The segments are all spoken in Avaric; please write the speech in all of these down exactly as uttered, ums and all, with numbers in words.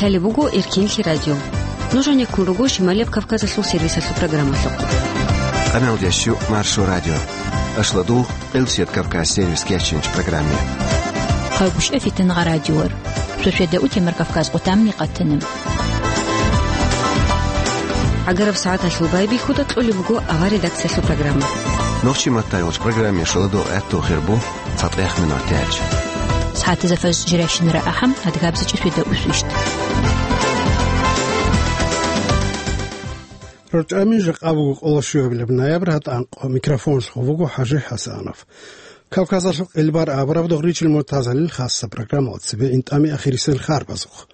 Гьале буго Эркинлъи радио. Нуж гьанеккун руго Шималияб Кавказалъул сервисалъул программалъухъ. Къамел ящу Маршо радио. Ашладул Къилсият Кавказ сервис кеченч программе. Хъайгъушъа фитангъа радиор. Сосиада утемар Кавказ къутамни къатана. Агараб сагӀаталъул байбихьуда кьолеб буго авар редакциялъул программа. Нохчи маттайгъуч программе шаладул гӀатту хирбу. ЦатӀех минутач. СагӀатазда фажр жирайщинара ахӀам, адгабзичӀи светда усвищт. РорчӀами жакъа буго къоло щуабилеб ноябрь, гьатӀанкъо. Микрофонлъго вуго ХӀажи ХӀасанов. Кавказалъул къилбар абураб Догъричил Муртазалил хасса программалда цебе интӀами ахирисел харбазухъ.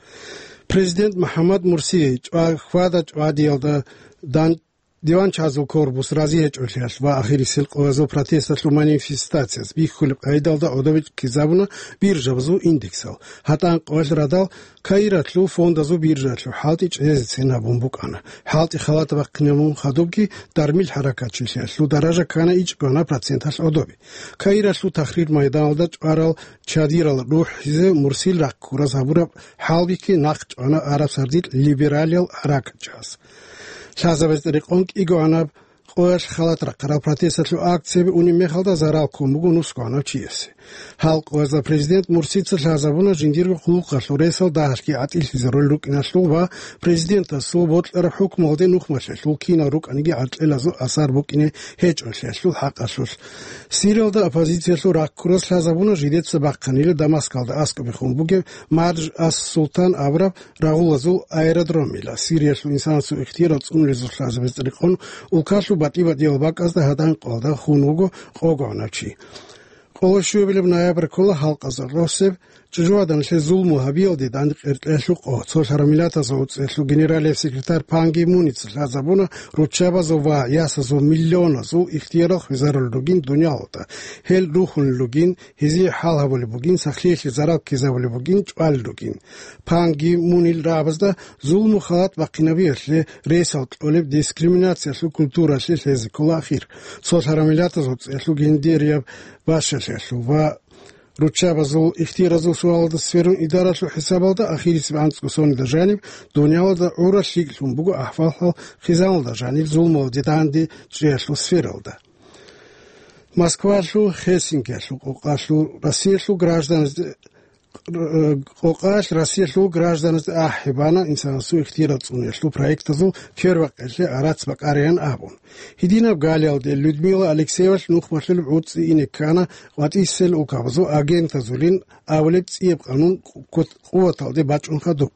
Президент МухӀаммад Мурси чӀва-, хьвада-чӀвадиялда дан-, Диван чагӀазул корпус разиячӀолъиялъ ва ахирисел къоязул протесталъул манифестацияс бихьулеб къайдалда гӀодобе ккезабуна биржабазул индексал. ГьатӀанкъоялъ радал Каиралъул фондазул биржалъул хӀалтӀи чӀезецин гьабун букӀана. ХӀалтӀи халат бахъинабун хадубги дармил хӀаракатчилъиялъул даража ккана ичӀго проценталъ гӀодобе. Каиралъул Тахрир майданалда чӀварал чадирал рухӀизе Мурсил рахъ ккураз гьабураб хӀалбихьи нахъ чӀвана араб сардилъ либералиял хӀаракатчияс. Лъазабазда рекъон кӀигогӀанаб къоялъ халат рахъарал протесталъул акцияби унеб мехалда зарал ккун буго нусгогӀанав чиясе. Гьал къоязда президент Мурсица лъазабуна жиндирго хъулухъалъул ресал дагьалъги гӀатӀилъизе роль рукӀиналъул ва президентасул бокьараб хӀукмуялде нухмалъиялъул кинал рукӀаниги гӀаркьелазул асар букӀине гьечӀолъиялъул хӀакъалъулъ. Сириялда оппозициялъул рахъ ккурас лъазабуна жидеца бахъанила Дамаскалда аскӀобехун бугеб Мардж ас-Султан абураб рагъулазул аэродромила. Сириялъул инсанасул ихтияр цӀунулезул лъазабазда рекъон улкалъул батӀи-батӀиял бакӀазда гьадан къоялда хун вуго къогогӀанав чи. Къоло щуабилеб ноябрь ккола халкъазда росеб чӀужугьаданалъе зулму гьабиялде дандекъеркьелъул къо. Цолъ гьармилатазул уцӀелъул генералияб секретарь Пан Ги Муница лъазабуна руччабазул ва ясазул миллионазул ихтиярал хвезарулел ругин дуниялалда. Гьел рухьунел ругин, гьезие хӀал гьабулеб бугин, сахлъиялъе зарал ккезабулеб бугин, чӀвалел ругин. Пан Ги Мунил рагӀабазда зулму халат бахъинабиялъе ресал кьолеб дискриминациялъул культуралъе лъезе ккола ахир. Цолъ гьармилатазул уцӀелъул гендерияб бащалъиялъул ва руччабазул ихтияразул суалалда сверун идаралъул хӀисабалда ахирисеб анцӀго соналда жаниб дуниялалда гӀурал лъикӀлъун буго ахӀвал-хӀал хъизаналда жанир зулмуялде данде чӀеялъул сфералда. Москвалъул, Хельсинкиялъул къокъалъул Россиялъул гражданазде, къокъалъ Россиялъул гражданазде ахӀи бана инсанасул ихтияр цӀуниялъул проектазул первакъалъе арацӀ бакӀараян абун. Гьединаб галиялде Людмила Алексеевалъ нухмалъулеб гӀуцӀи ине ккана къватӀисел улкабазул агентазулин абулеб цӀияб къанун къу-, къуваталде бачӀун хадуб.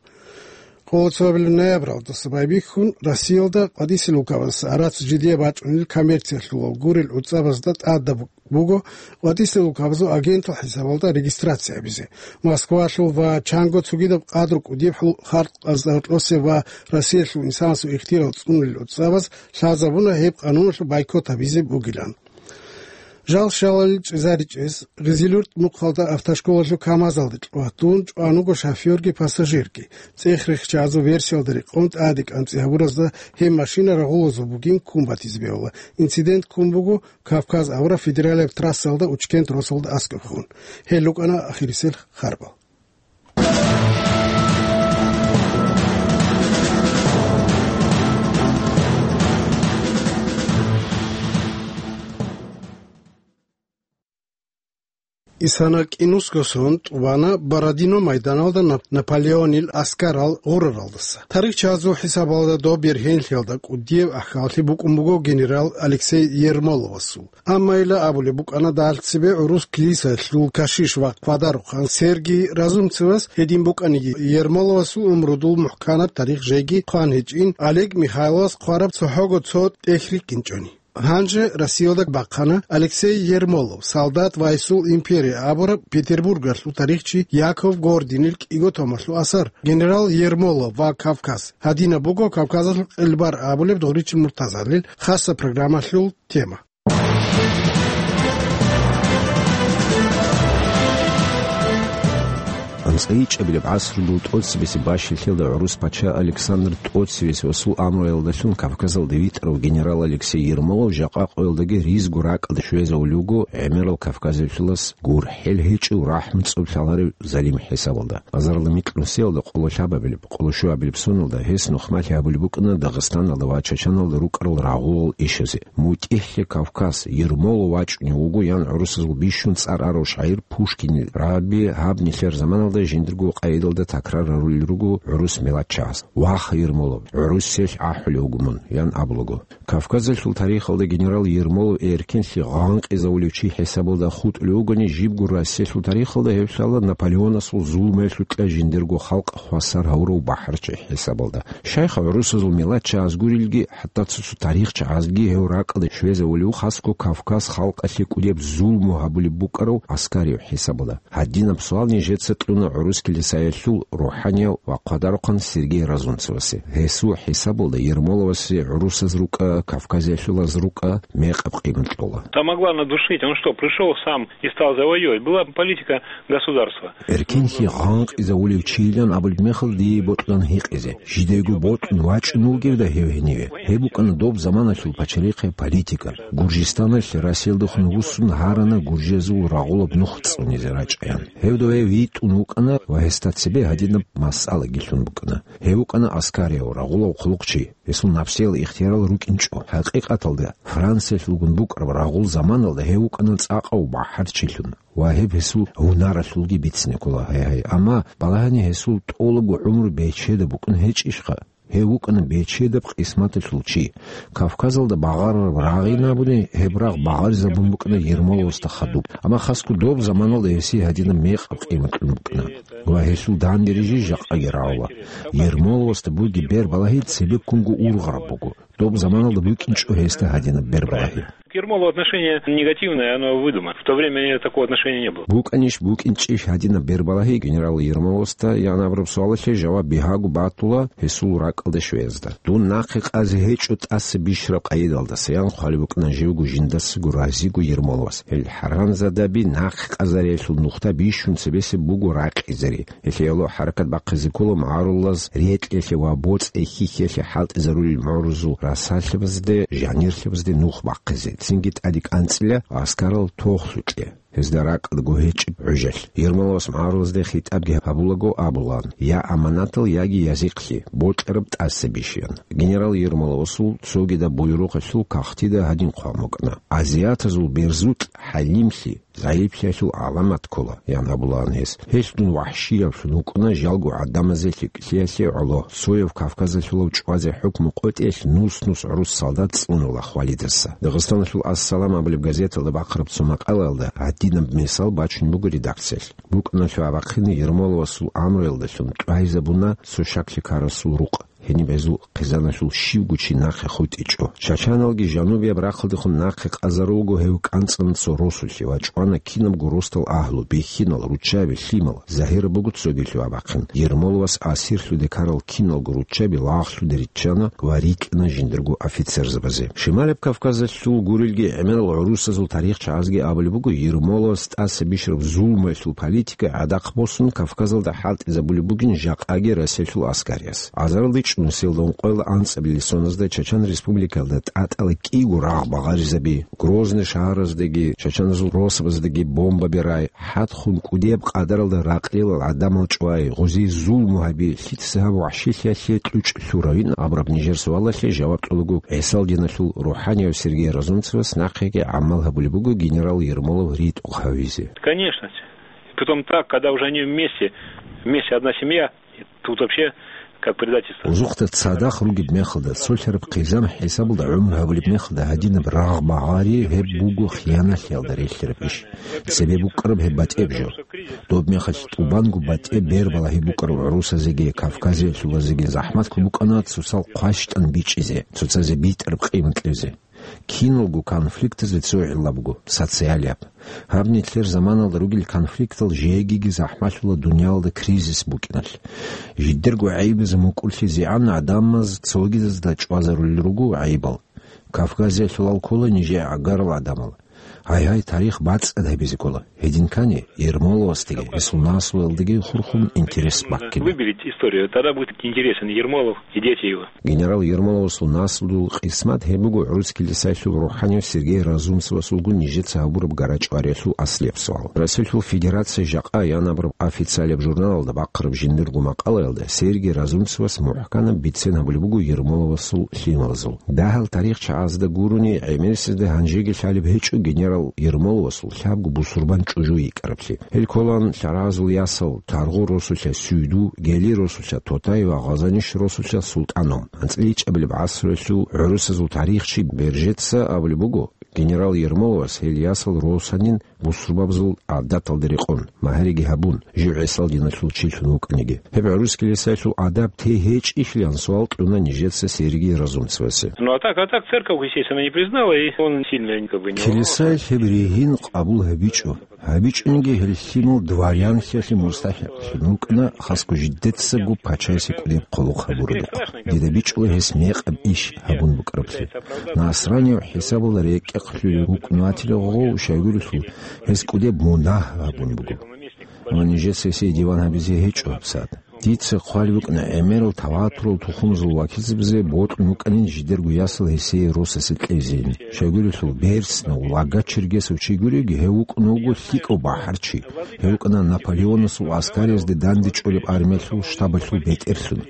Къоло цоабилеб ноябралдаса байбихьун Россиялда къватӀисел улкабазул арацӀ жидее бачӀунел коммерциялъулал гурел гӀуцӀабазда тӀадаб буго къватӀисел улкабазул агентал хӀисабалда регистрация гьабизе. Москвалъул ва чанго цогидаб къадру кӀудияб хӀу-, халкъазда гьоркьосе ва Россиялъул инсанасул ихтияр цӀунулел гӀуцӀабаз лъазабуна гьеб къануналъул бойкот гьабизе бугилан. Жал-шалалил чӀезаричӀез, ГъизилуртӀ мухъалда автошколалъул КамАЗалде кьватун чӀван вуго шофёрги пассажирги. ЦӀех-рехчазул версиялда рекъон тӀаде кӀанцӀи гьабуразда гьеб машина рагъулазул бугин ккун батизе бегьула. Инцидент ккун буго Кавказ авараг федералияб трассалда Учкент росулда аскӀобехун. Гьел рукӀана ахирисел харбал. Исана кӀинусго сон тӀубана Бородино майданалда Нап-, Наполеонил аскарал гъураралдаса. Тарихчазул хӀисабалда доб бергьенлъиялда кӀудияб ахӀаллъи букӀун буго генерал Алексей Ермоловасул. Амма ила абулеб букӀана, дагьалцебе гӀурус клисалъул кашиш ва хъвадарухъан Сергий Разумцевас гьедин букӀаниги, Ермоловасул умрудул мухӀканаб тарих жеги хъван гьечӀин, Олег Михайловас хъвараб цохӀого цо тӀехь рикӀкӀинчӀони. Гьанже Россиялда бахъана Алексей Ермолов, «Солдат ва гьесул империя» абураб петербургалъул тарихчи Яков Гординил кӀиго томалъул асар. Генерал Ермолов ва Кавказ. Гьадинаб буго Кавказалъул къилбар абулеб Догъричил Муртазалил хасса программалъул тема. ЦӀайичӀабилеб гӀасрудул тӀоцебесеб бащалъиялда гӀурус пача Александр тӀоцевесул амруялдалъун Кавказалда витӀарав генерал Алексей Ермолов жакъа къоялдаги ризго ракӀалде щвезавулев вуго гӀемерал Кавказалъулас гурхӀел гьечӀев, рахӀму цӀоб лъаларев залим хӀисабалда. Азарилда микьнусиялда къоло лъабабилеб, къоло щуабилеб соналда гьес нухмалъи гьабулеб букӀана Дагъистаналда ва Чачаналда рукӀарал рагъулал ишазе. МутӀигӀлъи Кавказ, Ермолов вачӀунев вуго, ян гӀурусазул бищун цӀар арав шагӀир Пушкинил раби гьаб нилъер заманалда жиндирго къайдалда такрар гьарулел руго гӀурус миллатчагӀаз: «Ваха, Ермолов, гӀурусиялъ ахӀулев вуго мун», – ян абулаго. Кавказалъул тарихалда генерал Ермолов эркенлъи гъанкъизавулев чи хӀисабалда хутӀулев вугони, жибго Россиялъул тарихалда гьев лъала Наполеонасул зулмуялъукьа жиндирго халкъ хвасар гьавурав бахӀарчи хӀисабалда. Щайха гӀурусазул миллатчагӀаз гурелги, хӀатта цо-цо тарихчагӀазги гьев ракӀалде щвезавулев, хасго Кавказ халкъалъе кӀудияб зулму гьабулеб букӀарав гӀаскарияв хӀисабалда? Гьадинаб суал нижеца кьуна гӀурус килисаялъул рухӀанияв ва хъвадарухъан Сергей Разумцевасе. Гьесул хӀисабалда Ермоловасе гӀурусаз рукӀа, кавказиялъулаз рукӀа мекъаб къимат кьола. Там могла надушить. Он что, пришёл сам и стал завоёвывать? Была политика государства. Эркенлъи гъанкъизавулев чийилан абулеб мехалда дие бокьун гьикъизе. Жидего бокьун вачӀун вугевда гьев гьениве. Гьеб букӀана доб заманалъул пачалихъе политика. Гуржистаналъ Россиялдехун вуссун гьарана гуржезул рагъулаб нух цӀунизе рачӀаян. Гьевда гьев витӀун вукӀана ва гьесда цебе гьадинаб масъалаги лъун букӀана. Гьев вукӀана аскарияв, рагъулав хъулухъчи. Гьесул напсиял ихтиярал рукӀинчӀо. ХӀакъикъаталда, Франциялъулгун букӀараб рагъул заманалда гьев вукӀана цӀакъав бахӀарчилъун. Ва гьеб гьесул гьунаралъулги бицине ккола, гьай-гьай. Амма балагьани гьесул тӀолабго гӀумру бечедаб букӀун гьечӀищха? Гьев вукӀана бечедаб къисматалъул чи. Кавказалда багъарараб рагъ ин абуни, гьеб рагъ багъаризабун букӀана Ермоловасда хадуб. Амма хасго доб заманалда гьесие гьадинаб мекъаб къимат кьун букӀана. Ва гьелъул данде рижи жакъаги рагӀула. Ермоловасда бугеб бербалагьи цебеккунго ургъараб буго. Доб заманалда букӀинчӀо гьесда гьадинаб бербалагьи. К Ермолову отношение негативное, оно выдумано. В то время такого отношения не было. БукӀанищ, букӀинчӀищ гьадинаб бербалагьи генерал Ермоловасда, ян абураб суалалъе жаваб бигьаго батула гьесул ракӀалде щвеязда. Дун нахъе къазе гьечӀо тӀаса бищараб къайдалдаса, ян хъвалеб букӀана живго жиндасаго разиго Ермоловас. Гьел хӀаранзадаби нахъе къазариялъул нухда бищун цебесеб буго ракъизари. Гьелъие гӀоло хӀаракат бахъизе ккола магӀарулаз рекьелъе ва боцӀи-хьихьиялъе хӀалтӀизарулел мугӀрузул расалъабазде, жанирлъабазде нух бахъизе, цинги тӀаде кӀанцӀила аскарал тохлъукье, гьезда ракӀалдаго гьечӀеб гӀужалъ. Ермоловас магӀарулазде хитӀабги гьабулаго абулаан: «Я аманатал, яги язихълъи, бокьараб тӀаса бищ», – ян. Генерал Ермоловасул цогидаб буюрухъалъул кагътида гьадин хъван букӀана: «Азиатазул берзукь хӀалимлъи, загӀиплъиялъул гӀаламат ккола», – ян абулаан гьес. Гьелъ дун вахӀшияблъун вукӀуна жалго гӀадамазе лъикӀлъиялъе гӀоло, цояв Кавказалъулав чӀвазе хӀукму къотӀиялъ нус-нус гӀурус солдат цӀунула хвалидаса. Дагъистаналъул «Ассалам» абулеб газеталда бахъараб цо макъалаялда гьадинаб мисал бачун буго редакциялъ. БукӀуналъул абахъине Ермоловасул амруялдалъун тӀвайзабуна цо щаклъи ккарасул рукъ. Гьениб гьезул хъизаналъул щивго чи нахъе хутӀичӀо. Чачаналги жанубияб рахъалдехун нахъе къазарулго гьев кӀанцӀана цо росулъе ва чӀвана кинабго росдал агьлу, бихьинал, руччаби, лъимал, загьираб буго цогилъул абахъин. Ермоловас асирлъуде ккарал киналго руччаби лагълъуде риччана ва рикӀкӀана жиндирго офицерзабазе. Шималаб Кавказалъул гурелги гӀемерал гӀурусазул тарихчагӀазги абулеб буго, Ермоловас тӀаса бищараб зулмуялъул политика гӀадахъ босун Кавказалда хӀалтӀизабулеб бугин жакъаги Россиялъул аскариялъ. Азарилда чӀунусиялда ункъоялда анцӀабилеб соназда Чачан Республикалда тӀатӀала кӀиго рагъ багъаризаби, Грозный шагьараздаги, чачаназул росабаздаги бомбаби рай, хӀадхъун кӀудияб къадаралда ракълилал гӀадамал чӀвай, гъозие зулму гьаби, лъица гьаб вахӀшилъиялъе кьучӀ лъуравин абураб нижер суалалъе жаваб кьолаго, ГӀисал диналъул рухӀанияв Сергей Разумцевас нахъеги гӀамал гьабулеб буго генерал Ермолов ритӀухъ гьавизе. Конечно. Притом так, когда уже они вместе, вместе одна семья, тут вообще как предательство. Узухъда цадахъ ругеб мехалда, цолъараб хъизан хӀисабалда гӀумру гьабулеб мехалда гьадинаб рагъ багъари гьеб буго хияналъиялда релълъараб иш. Цебе букӀараб гьеб батӀеб жо. Доб мехалъ тӀубанго батӀеб бербалагьи букӀарал гӀурусазеги Кавказиялъулазеги захӀматлъун букӀана цоцал хъващтӀан бичӀчӀизе, цоцазе битӀараб къимат кьезе. Киналго конфликтазе цо гӀилла буго, социалияб. Гьаб нилъер заманалда ругел конфликтал жегиги захӀмалъула дуниялда кризис букӀиналъ. Жидерго гӀайибазе мукӀурлъизегӀан гӀадамаз цогидазда чӀвазарулел руго гӀайибал. Кавказиялъулал ккола нижее гӀагарал гӀадамал. Гьай-гьай, тарих бацӀцӀад гьабизе ккола. Гьедин ккани, Ермоловасдаги гьесул наслуялдаги хурхун интерес баккине. Выберите историю, тогда будет интересен Ермолов и дети его. Генерал Ермоловасул наслуялъул къисмат гьеб буго гӀурус килисаялъул рухӀанияв Сергей Разумцевасулгун нижеца гьабураб гарачӀвариялъул аслияб суал. Россиялъул Федерация жакъа янабураб официалияб журналалда бахъараб жиндирго макъалаялда Сергей Разумцевас мухӀканаб бицен гьабулеб буго Ермоловасул лъималазул. Дагьал тарихчагӀазда гурони, гӀемерисезда гьанжеги лъалеб гьечӀо генерал Ермоловасул лъабго бусурбан чӀужу йикӀараблъи. Гьел кколаан лъаразул ясал: Таргъу росулъа Сюйду, Гели росулъа Тотай ва Гъазаниш росулъа СултӀаном. АнцӀила ичӀабилеб гӀасруялъул гӀурусазул тарихчи Бержеца абулеб буго, генерал Ермоловас гьел ясал росанин бусурбабазул гӀадаталда рекъон, магьариги гьабун, жив гӀисал диналъул чилъун вукӀаниги. Гьеб гӀурус килисаялъул адаб те гьечӀищилан суал кьуна нижеца Сергий Разумцевасе. Ну, а так, а так церковь, естественно, не признала, и он сильно как бы не... Килисаялъ гьеб ригьин къабул гьабичӀо. ГьабичӀониги гьел лъимал дворянлъиялъе мустахӀикълъун вукӀана, хасго жидецаго пачаясе кӀудияб хъулухъ гьабурабухъ. Дида бичӀчӀула гьес мекъаб иш гьабун букӀараблъи. Насранияв хӀисабалда рекӀехъ лъугьун вукӀун ватила гъов, щайгурелъул гьес кӀудияб мунагь гьабун буго. Амма нижеца гьесие диван гьабизе гьечӀо гьабсагӀат. Дица хъвалеб букӀана гӀемерал таватурал тухумазул вакилзабазе бокьун вукӀанин жидерго ясал гьесие росасе кьезейин. Щайгурелъул берцинав лага-чергесав чи гуреги, гьев вукӀун вуго лъикӀав бахӀарчи. Гьев вукӀана Наполеонасул аскариязде дандечӀолеб армиялъул штабалъул бетӀерлъун.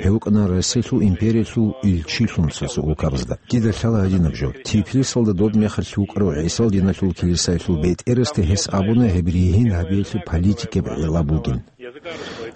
Гьев вукӀана Россиялъул империялъул илчилъун цо-цо улкабазда. Дида лъала гьадинаб жо. Тифлисалда доб мехалъ вукӀарав гӀисал диналъул килисаялъул бетӀерасда гьес абуна гьеб ригьин гьабиялъе политикияб гӀилла бугин.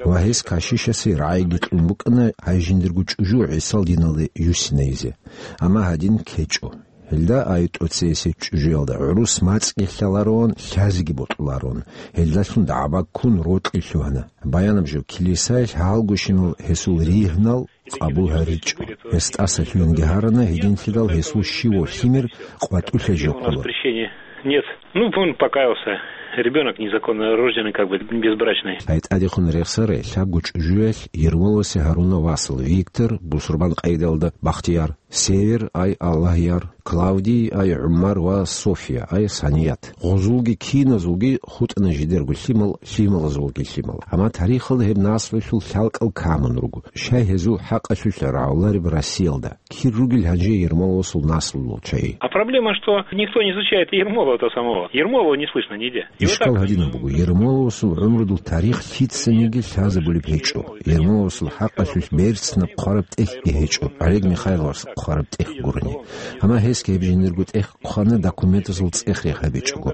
Ва гьес кашишасе рагӀиги кьун букӀана гьай жиндирго чӀужу гӀисал диналде юссинайизе. Амма гьадин ккечӀо. Гьелда ай тӀоцеясе чӀужуялда гӀурус мацӀги лъалароан, лъазеги бокьулароан. Гьелдалъун дагӀба ккун рокьи лъугьана. Баянаб жо, килисаялъ гьалгощинал гьесул ригьнал къабул гьаричӀо. Гьес тӀаса лъугьинги гьарана, гьединлъидал гьесул щивав лъимер къватӀулъа жо ккола. Запрещение нет. Ну, он покаялся. Ребёнок незаконно рожденный, как бы, безбрачный. Ай тӀадехун рехсарай лъабго чӀужуялъ Ермоловасе гьаруна васал: Виктор, бусурбан къайдалда Бахтияр, Север, ай Аллагьяр, Клавдий, ай ГӀумар ва София, ай Саният. Гъозулги киназулги хутӀана жидерго лъимал, лъималазулги лъимал. Амма тарихалда гьеб наслуялъул лъалкӀал камун руго. Щай гьезул хӀакъалъулъ рагӀулареб Россиялда? Кир ругел гьанже Ермоловасул наслуялъул чагӀи? А проблема, что никто не изучает Ермолова-то самого. Ермолова не слышно нигде. Ишкал гьадинаб буго, Ермоловасул гӀумрудул тарих лъицаниги лъазабулеб гьечӀо. Ермоловасул хӀакъалъулъ берцинаб хъвараб тӀехьги гьечӀо, Олег Михайловас хъвараб тӀехь гурони. Амма гьесги гьеб жиндирго тӀехь хъвана документазул цӀех-рех гьабичӀого.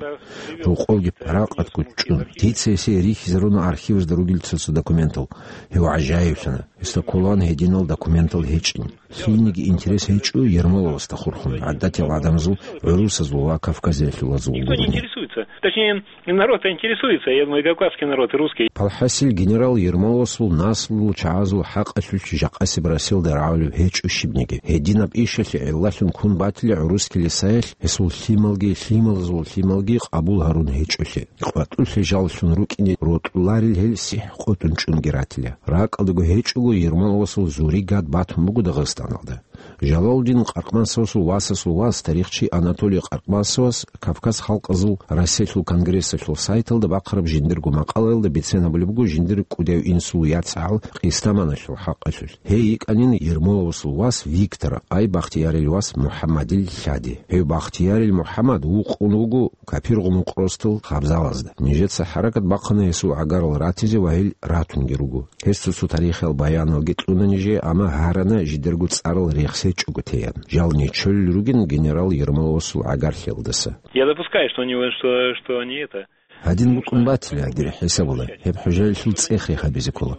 Рокъовги паракъатго чӀун, дица гьесие рихьизаруна архивазда ругел цо-цо документал. Гьев гӀажаиблъана. Гьесда кколаан гьединал документал гьечӀин. Лъилниги интерес гьечӀо Ермоловасда хурхун, гӀадатиял гӀадамазул, гӀурусазул ва кавказиялъулазул гурони. Никто не интересуется. Точнее, народ-то интересуется, я думаю, кавказский народ, русский. Палхасил генерал Ермоловасул наслуялъул чагӀазул хӀакъалъулъ жакъасеб Россиялда рагӀулеб гьечӀо щибниги. Гьединаб ишалъе гӀиллалъун ккун батила гӀурус килисаялъ гьесул лъималги, лъималазул лъималги къабул гьарун гьечӀолъи. КъватӀулъе жаллъун рукӀине рокьуларел гьел сихӀ къотӀун чӀунги ратила. РакӀалдаго гьечӀого Ермоловасул зуригат батун буго Дагъистаналда. Жалалудин Къаркъмасовасул васасул вас, тарихчи Анатолий Къаркъмасовас Кавказ халкъазул Россиялъул конгрессалъул сайталда бахъараб жиндирго макъалаялда бицен гьабулеб буго жиндир кӀудияв инсул яцгӀал Къистаманалъул хӀакъалъулъ. Гьей йикӀанин Ермоловасул вас Виктор, ай Бахтиярил вас МухӀаммадил лъади. Гьев Бахтиярил МухӀаммад вукъун вуго Капиргъумукъ росдал хабзалазда. Нижеца хӀаракат бахъана гьесул гӀагарал ратизе ва гьел ратунги руго. Гьес цо-цо тарихиял баяналги кьуна нижее, амма гьарана жидерго цӀарал рехсечӀого теян. Жал нечолел ругин генерал Ермоловасул гӀагарлъиялдаса. Я допускаю, что они, что, что они это... Гьадин букӀун батила, дир хӀисабала, гьеб хӀужаялъул цӀех-рех гьабизе ккола.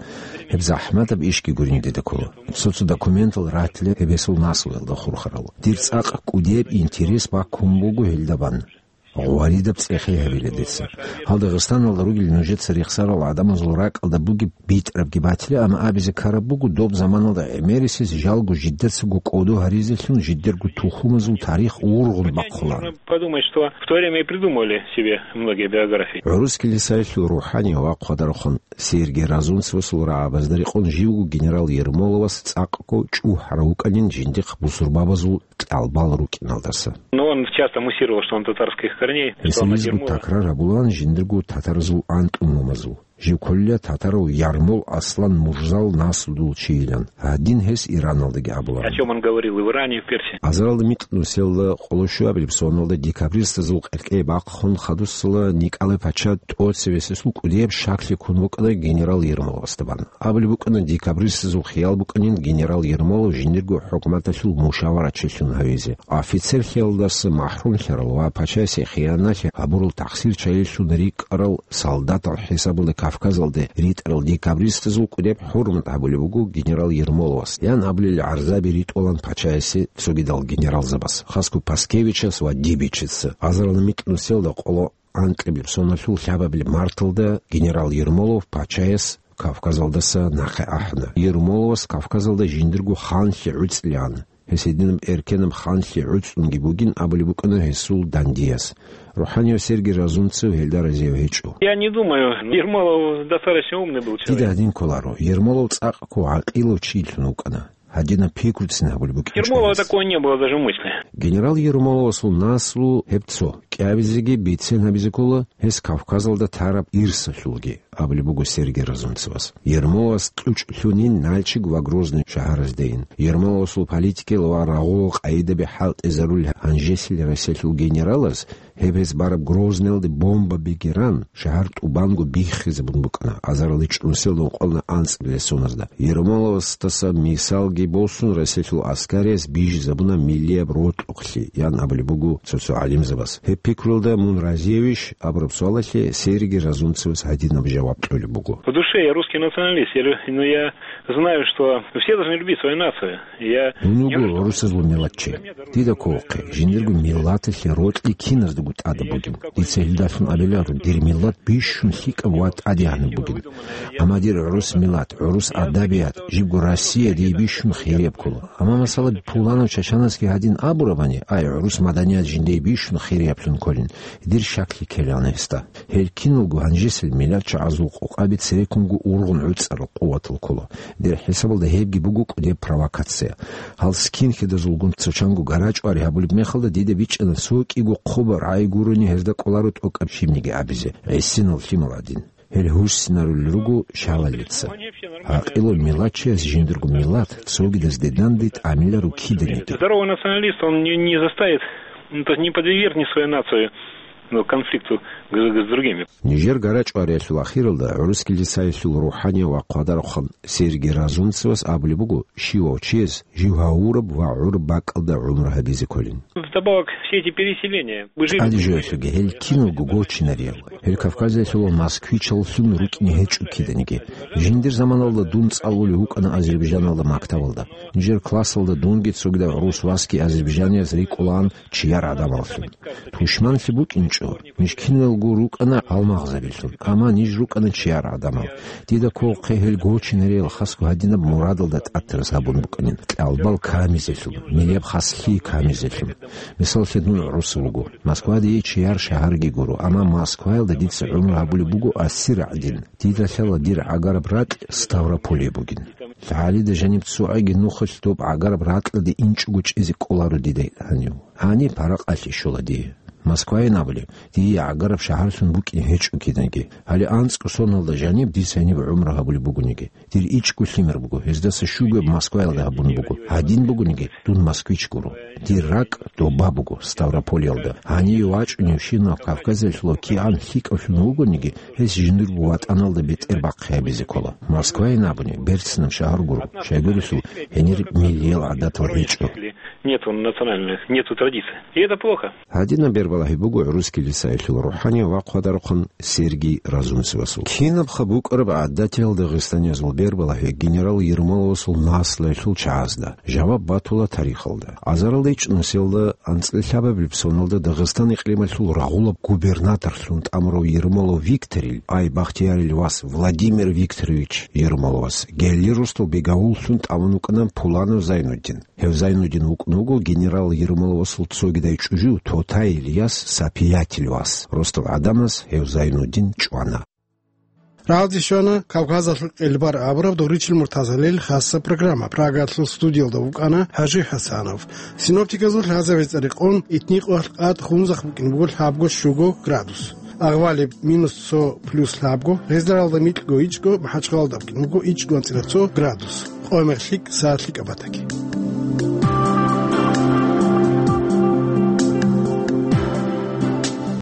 Гьеб захӀматаб ишги гурин дида ккола. Цо-цо документал ратила гьеб гьесул наслуялда хурхарал. Дир цӀакъ кӀудияб интерес баккун буго гьелда бан. Гъваридаб цӀехи гьабила дица. Гьал Дагъистаналда ругел нужеца рехсарал гӀадамазул ракӀалда бугеб битӀарабги батила, амма абизе ккараб буго, доб заманалда гӀемерисез жалго жидецаго кӀодо гьаризелъун жидерго тухумазул тарих ургъун бахъулаан. Подумать, что в то время и придумали себе многие биографии. ГӀурус килисаялъул рухӀани ва хъвадарахъун Сергий Разумцевасул рагӀабазда рекъон живго генерал Ермоловас цӀакъго чӀухӀарав вукӀанин жиндихъ бусурбабазул кьалбал рукӀиналдаса. Но он часто муссировал, что он татарских Корней Гьесул Ислам лъизгу Ермолов. Такрар гьабулаан жиндирго татаразул анкьнумазул. Жив кколила татарав Ярмол Аслан Мурзал наслудул чийилан. Гьадин гьес Ираналдаги абуларан. О чём он говорил и в Иране, и в Персии. Азаралда микьнусиялда къоло щуабилеб соналда декабристазул къеркьей бахъун хадусала Николай пача тӀоцебесесул кӀудияб щаклъи ккун букӀана генерал Ермоловасда бан. Абулеб букӀана, декабристазул хиял букӀанин генерал Ермолов жиндирго хӀукуматалъул мушаварачилъун гьавизе. Офицерлъиялдаса махӀрумлъарал ва пачасе хияналъи гьабурал тахсирчайилъун рикӀкӀарал солдатал хӀисабалда Кавказалде ритӀарал декабристазул кӀудеб хӀурмат гьабулеб буго генерал Ермоловас, ян абулел гӀарзаби ритӀулан пачаясе цогидал генералзабаз, хасго Паскевичас ва Дибичица. Азаралда микьнусиялда къоло анкьабилеб соналъул лъабабилеб марталда генерал Ермолов пачаяс Кавказалдаса нахъе ахӀана. Ермоловас Кавказалда жиндирго ханлъи гӀуцӀилан, гьес гьединаб эркенаб ханлъи гӀуцӀунги бугин абулеб букӀана гьесул дандияс. РухӀанияв Сергий Разумцев гьелда разияв гьечӀо. Я не думаю, Ермолов достаточно умный был человек. Дида гьадин кколаро, Ермолов цӀакъго гӀакъилав чилъун вукӀана. Гьадинаб пикруцин гьабулеб букӀин Ермолова чӀвазе. Такого не было даже в мысли. Генерал Ермоловасул наслу гьеб цо, кӀиабизеги бицен гьабизе ккола гьес Кавказалда тараб ирсалъулги, абулеб буго Сергий Разумцевас. Ермоловас кьучӀ лъунин Нальчик ва Грозный шагьараздейин. Ермоловасул политикиял ва рагъул къайидаби хӀалтӀизарулел гьанжесил Россиялъул генералас гьеб гьес бараб Грозныйалде бомба бигеран, шагьар тӀубанго биххизабун букӀана азарал ичӀнусел ункъоялда анцӀабилеб соназда. Ермоловасдаса мисалги босун, Россиялъул аскарияс бижизабуна миллияб рокьукълъи, ян абулеб буго цо-цо гӀалимзабаз. Гьеб пикруялда мун разиявищ абураб суалалъе Сергий Разумцевас гьадинаб жаваб кьолеб буго. В душе я русский националист, я лю-, но я знаю, что все должны любить свою нацию. Я Мун вуго гӀурусазул миллатчи. Дида кколохъе, жиндирго миллаталъе рокьи киназдаго тӀадаб бугин. Дица гьелдалъун абиларо, дир миллат бищун лъикӀаб ва тӀадегӀанаб бугин. Амма дир гӀурус миллат, гӀурус адабият, жибго Россия дие бищун хирияб ккола. Амма, масала, пуланав чачанасги гьадин абурабани, ай, гӀурус маданият жиндие бищун хирияблъун кколин, дир щаклъи ккелаан гьесда. Гьел киналго гьанжесел миллатчагӀазул къокъаби цереккунго ургъун гӀуцӀарал къуватал ккола. Дир хӀисабалда гьебги буго кӀудеб провокация. Гьал скинхедазулгун цо чанго гарачӀвари гьабулеб мехалда дида бичӀчӀана цо кӀиго хъубаб рагӀи гурони гьезда кӀоларо тӀокӀаб щибниги абизе, гӀисинал лъимал гӀадин. Гьел гьуссинарулел руго шалалица. ГӀакъилав миллатчияс жиндирго миллат цогидазде данде тӀамиларо киданиги. Здоровый националист, он не, не заставит, ну, то есть не подвергнет свою нацию, ну, конфликту с, с другими. Нижер гарачӀвариялъул ахиралда гӀурус килицаялъул рухӀанияв ва хъвадарахъан Сергий Разумцевас абулеб буго, щивав чияс жив гьавураб ва гӀураб бакӀалда гӀумру гьабизе кколин. Вдобавок, все эти переселения, вы же ТӀаде жоялъулги гьел киналго гочинариял, гьел Кавказиялъул москвичаллъун рукӀине гьечӀо киданиги. Жиндир заманалда дун цӀалулев вукӀана Азербайджаналда мактабалда. Нижер классалда дунги цогидаб гӀурус васги азербайджанияб рикӀкӀунаан чияр гӀадамаллъун. Тушманлъи букӀинчӀо, ниж киналго рукӀана гьалмагъзабилъун, амма ниж рукӀана чияр гӀадамал. Дида кколохъе гьел гочинариял хасго гьадинаб мурадалда тӀатарас гьабун букӀанин, кьалбал камизелъун, милияб хаслъи камизелъун. Мисаллъе, дун гӀурусав вуго. Москваде дие чияр шагьарги гуро, амма Москваялда дица гӀумру гьабулеб буго асир гӀадин. Дида лъала дир гӀагараб ракь Ставрополие бугин. ЛъагӀалида жаниб цогӀаги нухалъ доб гӀагараб ракьалде инчӀого чӀезе кӀоларо дида гьанив. Гьаниб паракъалъе щола дие. Москвайин абулеб, дие гӀагараб шагьарлъун букӀине гьечӀо кинаги. Гьале анцӀго соналда жаниб дица гьаниб гӀумру гьабулеб бугониги. Дир ичӀго лъимер буго, гьездаса щуго Москваялда гьабун буго. Гьадин бугониги, дун москвич гуро. Дир ракӀ доба буго, Ставрополиялда. Гьаниве вачӀуневщинав Кавказалъулав кигӀан лъикӀавлъун вугониги, гьес жиндирго ватӀаналда бетӀер бахъи гьабизе ккола. Москвайин абуни, берцинаб шагьар гуро, щайгурелъул гьенир миллиял гӀадатал гьечӀо. Нету национальных, нету традиций. И это плохо. Гьадинаб бербалагьи буго гӀурус килицаялъул рухӀанияв ва хъвадарахъан Сергий Разумцевасул. Кинабха букӀараб гӀадатиял дагъистаниязул бербалагьи генерал Ермоловасул наслуялъул чагӀазда? Жаваб батула тарихалда. Азаралда ичӀнусиялда анцӀила лъабабилеб соналда Дагъистан икълималъул рагъулаб губернаторлъун тӀамурав Ермолов Викторил, ай Бахтиярил вас Владимир Викторович Ермоловас, гелли росдал бегавуллъун тӀамун вукӀана Пуланов Зайнуддин. Гьев Зайнуддин вукӀун вуго генерал Ермоловасул цогидай чӀужу Тотаил яс Сапиятил вас. Росдал гӀадамаз гьев Зайнуддин чӀвана. Рагъалде щвана Кавказалъул къелбар абураб догъричил муртазалил хасса программа. Прагалъул студиялда вукӀана ХӀажи ХӀасанов. Синоптиказул лъазабизе цӀарикъун, итникъоялъ къад хунзахъ букӀин буго лъабго-щуго градус. Агъвалиб минус цо плюс лъабго, Гъезаралда микьго-ичӀго, МахӀачхъалалда букӀин буго ичӀго анцӀила цо градус. Къомер лъикӀ, сагӀат лъикӀаб батаги.